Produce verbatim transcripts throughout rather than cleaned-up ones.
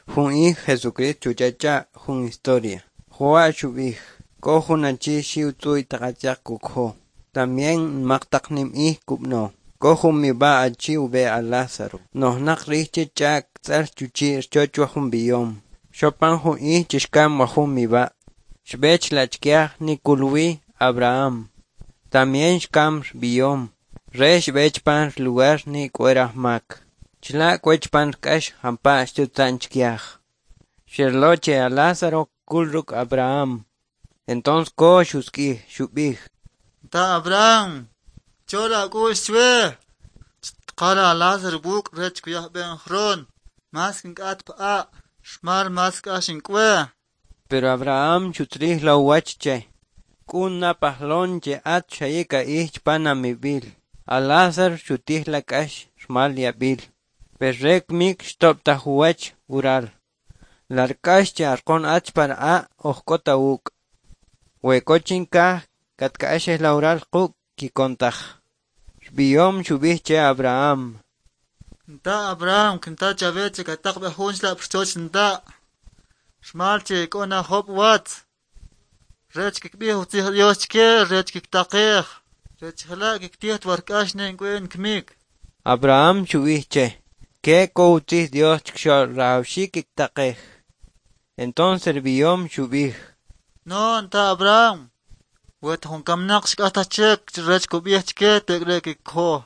Jun ij Jesucristo xuchacha jun historia. Jewa' xub'ij: K'o jun achi xiw tz'uy taq atz'yaq kukojo, también nmaq taq nim'ij kub'ano. K'o jun mib'a' achi ub'e' a Lázaro, nojnaq rij che ch'a'k tz'al chuchi' rchoch wajun b'iyom. Xopan jun ij che xkam wajun mib'a'. Xb'e chla' chkiaj ni kul wi Abraham. También xkam b'iyom. Re xb'e chpan rlugar ni k'o rajmak. Chla' k'o chpan rk'ax jampa' xtutza'n chkiaj. Xerlo che a Lázaro kul ruk' Abraham. Entonces ko xusk'ij, xub'ij: Ta Abraham, chola ak'u'x chwe. Chitqala a Lázaro wuk' rech kuyaj b'e njron. Mas kink'at p'a', rmal mas k'ax ink'we. Pero Abraham xutzrij lo uwach che. K'un na pajlon che at xayik a'ij chpan amib'il. A Lázaro xutij la k'ax rmal yab'il. Per re kmik xtob'taj uwach ural. Lal k'ax che arqon at chpan a' oj k'ot awuk'. We k'o chinkaj katk'axej la ural quk' kikon taj. B'iyom xub'ij che Abraham: Nta Abraham kinta chawe che kataq b'i jun chla' pxchoch nta'. Rmal che k'o na jo'ob watz. Rech kikb'ij utzij Dios chke rech kiktaqej. Rech jela' kiktij ta wa k'ax ne ink'o in kmik. Abraham xub'ij che: Ke k'o utzij Dios chkxo'l rajawxik kiktaqej. Entonces b'iyom xub'ij: No, nta Abraham. Wet jun kamnaq xk'astaj chik rech kub'ij chke tek'ri' kikkojo.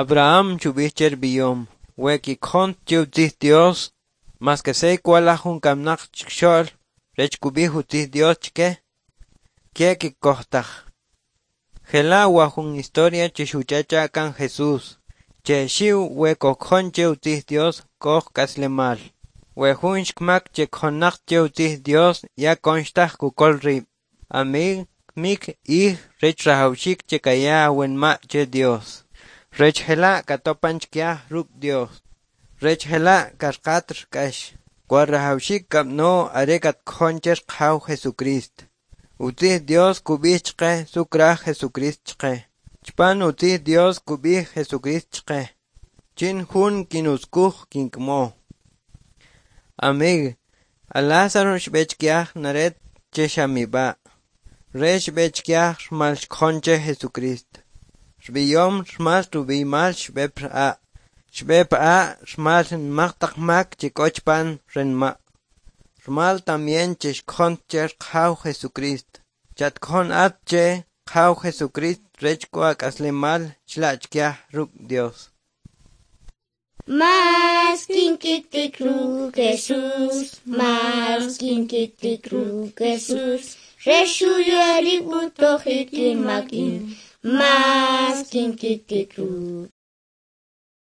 Abraham xub'ij che b'iyom: We kikjon che utzij Dios, maske sey kwalaj jun kamnaq chkxo'l rech kub'ij utzij Dios chke, ke kikkoj taj. Jela' wa jun historia che xuchacha kan Jesús, che xiw we kojkjon che utzij Dios k'o k'aslemal. We jun xkmak che kjonnaq che utzij Dios ya konxtaj kukol rib'. Amig, kmik ij rech rajawxik che kaya awanma' che Dios. Rech jela' katopan chkiaj ruk' Dios. Rech jela' karqat rk'ax. Kwa rajawxik kab'ano are katkjon che Qajaw Jesucristo. Utzij Dios kub'ij chqe su kraj Jesucristo chqe. Chpan utzij Dios kub'ij Jesucristo chqe. Chin jun kinuskuj kink'amo. Amig, a Lázaro xb'e chkiaj naret che xa mib'a'. Re xb'e chkiaj rmal xkjon che Jesucristo. Rb'iyom rmal rub'iymal xb'e p'a'. Xb'e p'a' rmal nmaq taq mak che k'o chpan ranma'. Rmal también che xkjon che Qajaw Jesucristo. Chatkjon at che Qajaw Jesucristo rech k'o ak'aslemal chla' chkiaj ruk' Dios. Mas kinkiktik ruk' Jesús, mas kinkiktik ruk' Jesús, Re xuya rib' utojik inmak in, mas kinkiktik ruk'